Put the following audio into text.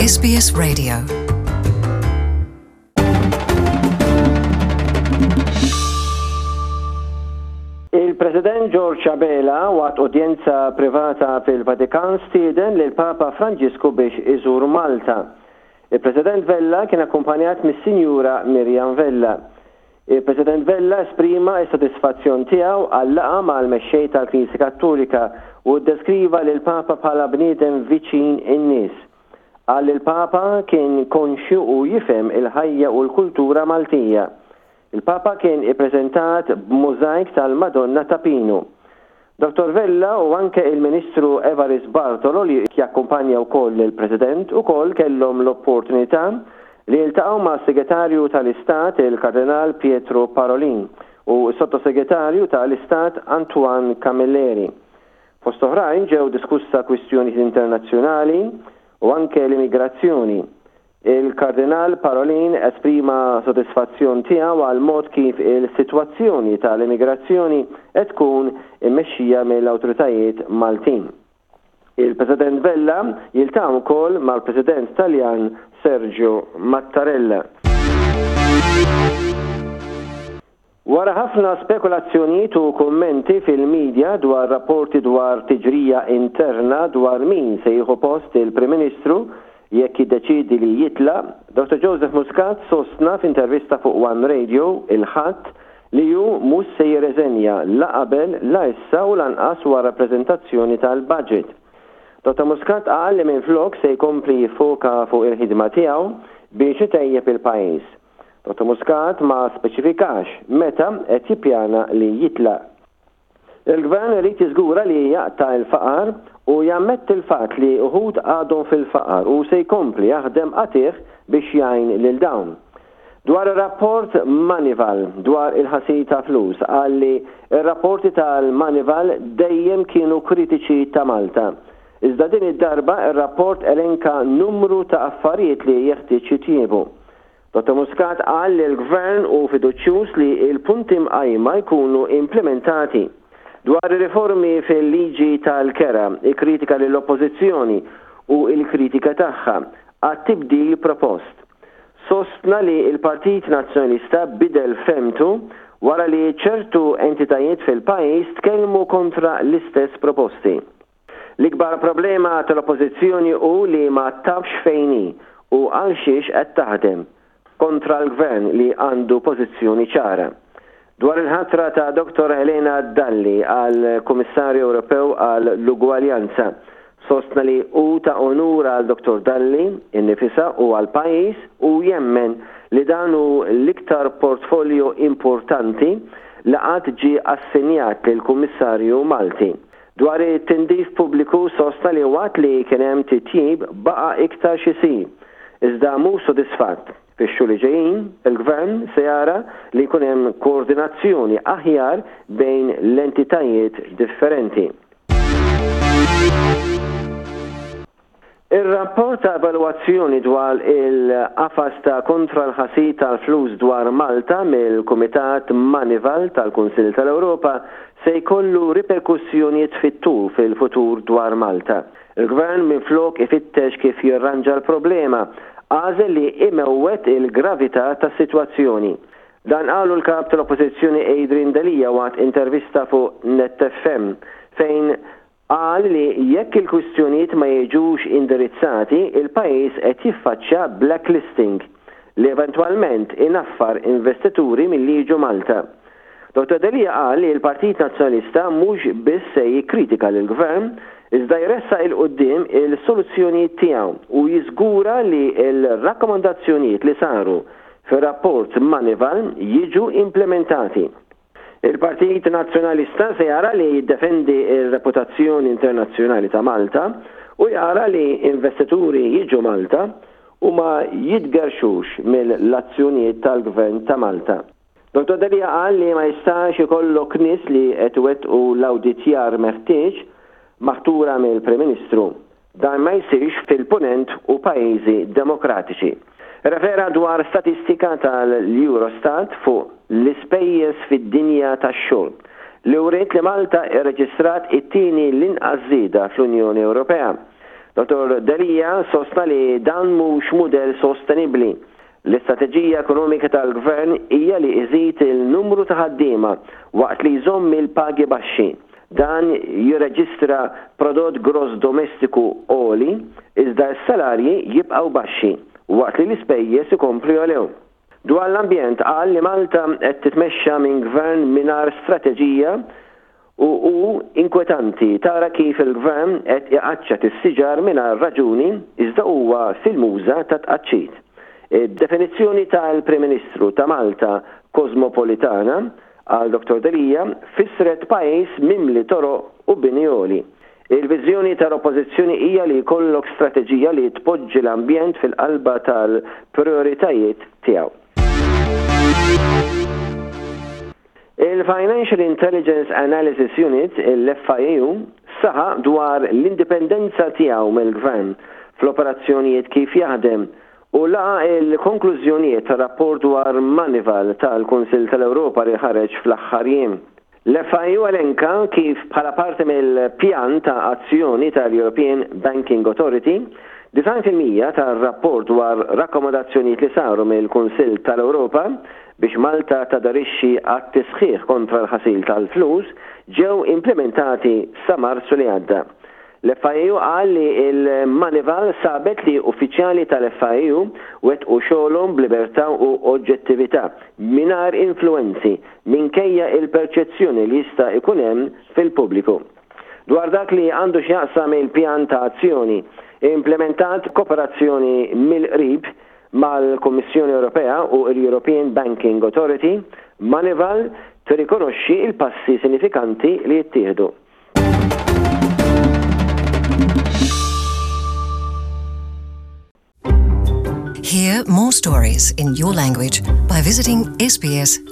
SBS Radio. Il-President George Abela waqt udjenza privata fil-Vatikan stieden lil Papa Franġisku biex iżur Malta. Il-President Vella kien akkumpanjat mis-Sinjura Miriam Vella. Il-President Vella esprima s-sodisfazzjon tiegħu għal-laqgħa mal-Mexxej tal-Knisja Kattolika u ddeskriva lill-Papa bħala bniedem viċin in-nies. Qal li l-Papa kien konxju u jifhem il-ħajja u l-kultura Maltija. Il-Papa kien ippreżentat b'mużajk tal-Madonna ta' Pinu. Dottor Vella u anke il-Ministru Evarist Bartolo li jakkumpanja wkoll lill-President ukoll kellhom l-opportunità li jiltaqgħu mas-Segretarju tal-Istat il-Kardinal Pietro Parolin u s-Sottosegretarju ta' l-Istat Antoine Camilleri. Fost oħrajn ġew diskussa kwistjonijiet internazzjonali u anke l-immigrazzjoni. Il-Kardinal Parolin esprima sodisfazzjon tiegħu għall-mod kif il-sitwazzjoni tal-immigrazzjoni qed tkun immexxija mill-awtoritajiet Maltin. Il-President Vella jiltaqa' wkoll mal-President Taljan Sergio Mattarella. Wara ħafna spekulazzjonijiet u kummenti fil-media dwar rapporti dwar tiġrija interna dwar min se jieħu post il-Prim Ministru jekk jiddeċiedi li jitlaq, Dottor Joseph Muscat sostna f'intervista fuq One Radio il-Ħadd li hu mhux se jirreżenja la qabel, la issa u lanqas wara l-preżentazzjoni tal-budget. Dottor Muscat qal li minflok se jkompli jiffoka fuq il-ħidma tiegħu biex itejjeb il-pajjiż. Dottor Muscat ma speċifikax meta qed jippjana li jitlaq. Il-Gvern irid jiżgura li jaqta' l-faqar u jammetti l-fatt li uħud għadhom fil-faqar u se jkompli jaħdem qatigħ biex jgħin lil dawn. Dwar ir-rapport Moneyval dwar il-ħasil ta' flus qal li r-rapporti tal-Moneyval dejjem kienu kritiċi ta' Malta. Iżda din id-darba r-rapport elenka numru ta' affarijiet li jeħtieġ jitjiebu. Dottor Muscat qal li l-Gvern hu fiduċjuż li l-punti mqajma jkunu implimentati. Dwar ir-riformi fil-liġi tal-kera, ikkritika lill-Oppożizzjoni u l-kritika tagħha għat-tibdil propost. Sostna li l-Partit Nazzjonalista bidel fehmtu wara li ċertu entitajiet fil-pajjiż tkellmu kontra l-istess proposti. L-ikbar problema tal-Oppożizzjoni hu li ma tafx fejn hi u għal xiex qed taħdem, kontra l-Gvern li għandu pożizzjoni ċara. Dwar il-ħatra ta' Dottor Helena Dalli għal Kummissarju Ewropew għal l-Ugwaljanza, sostna li hu ta' onur għal Dottor Dalli innifisha u għall-pajjiż u jemmen li dan hu l-iktar portfolio importanti li qatt ġie assenjat lil Kummissarju Malti. Dwar it-tindif pubbliku sostna li waqt li kien hemm titjib baqa' iktar x'isir, iżda mhux sodisfatt. Fix-xhur li ġejjin, il-Gvern se jara li jkun hemm koordinazzjoni aħjar bejn l-entitajiet differenti. Ir-rapport ta' evalwazzjoni dwar il-qafas ta' kontra l-ħasil tal-flus dwar Malta mill-Kumitat Moneyval tal-Kunsill tal-Ewropa se jkollu riperkussjonijiet fit-tul fil-futur dwar Malta. Il-Gvern minflok ifittex kif jirranġa l-problema, għażel li imewwet il-gravità tas-sitwazzjoni. Dan qalu l-Kap tal-Oppożizzjoni Adrian Delia waqt intervista fuq Net FM fejn Qal li jekk il-kwistjonijiet ma jiġux indirizzati, il-pajjiż qed jiffaċċja blacklisting, li eventwalment inaffar investituri milli jiġu Malta. Dottor Delia qal li l-Partit Nazzjonalista mhux biss se jikkritika lill-Gvern, iżda jressaq 'il quddiem il-soluzzjonijiet tiegħu u jiżgura li l-rakkomandazzjonijiet li saru fir-rapport Moneyval jiġu implimentati. Il-Partit Nazzjonalista se jara li jiddefendi r-reputazzjoni internazzjonali ta' Malta u jara li investituri jiġu Malta u ma jitgerrxux mill-azzjonijiet tal-Gvern ta' Malta. Dottor Delia qal li ma jistax ikollok nies li qed iwettqu l-awditjar meħtieġ maħtura mill-Prim Ministru. Dan ma jsirx fil-Punent u pajjiżi demokratiċi. Irrefera dwar statistika tal-Eurostat fuq l-ispejjeż fid-dinja tax-xogħol, li wriet li Malta rreġistrat it-tieni l-inqas żieda fl-Unjoni Ewropea. Dottor Delia sostna li dan mhux mudell sostenibbli. L-istrateġija ekonomika tal-Gvern hija li iżid il-numru ta' ħaddiema waqt li jżomm il-pagi baxxi. Dan jirreġistra prodott gross domestiku għoli iżda s-salarji jibqgħu baxxi waqt li l-ispejjeż ikomplu jogħlew. Dwar l-ambjent qal li Malta qed titmexxa minn Gvern mingħajr strateġija u hu inkwetanti tara kif il-Gvern qed iqaċċat is-siġar mingħajr raġuni iżda huwa fil-muża tat-tqaċċit. Id-definizzjoni tal-Prim Ministru ta' Malta kożmopolitana, qal Dottor Delia, fissret pajjiż mimli toroq u bini għoli. Il-viżjoni tal-Oppożizzjoni hija li jkollok strateġija li tpoġġi l-ambjent fil-qalba tal-prijoritajiet tiegħu. Il-Financial Intelligence Analysis Unit, il-FIAU, saħaq dwar l-indipendenza tiegħu mill-Gvern fl-operazzjonijiet kif jaħdem u laqa' l-konklużjonijiet tar-rapport dwar Moneyval tal-Kunsill tal-Ewropa li ħareġ fl-aħħar jiem. L-FIU elenka kif bħala parti mill-pjan ta' azzjoni tal-European Banking Authority, 90% tar-rapport dwar rakkomandazzjonijiet li saru mill-Kunsill tal-Ewropa biex Malta taderixxi għat-tisħiħ kontra l-ħasil tal-flus ġew implimentati sa Marzu li għadda. L-FIAU qal li l-Moneyval sabet li uffiċjali tal-FIAU wettqu xogħolhom b'libertà u oġġettività, mingħajr influwenzi, minkejja il-perċezzjoni li jista' jkun hemm fil-pubbliku. Dwar dak li għandu x'jaqsam il-pjan ta' azzjoni, implimentat b'koperazzjoni mill-qrib mal-Kummissjoni Ewropea u l-European Banking Authority, Moneyval tirrikonoxxi l-passi sinifikanti li ttieħdu. Hear more stories in your language by visiting sbs.com.au.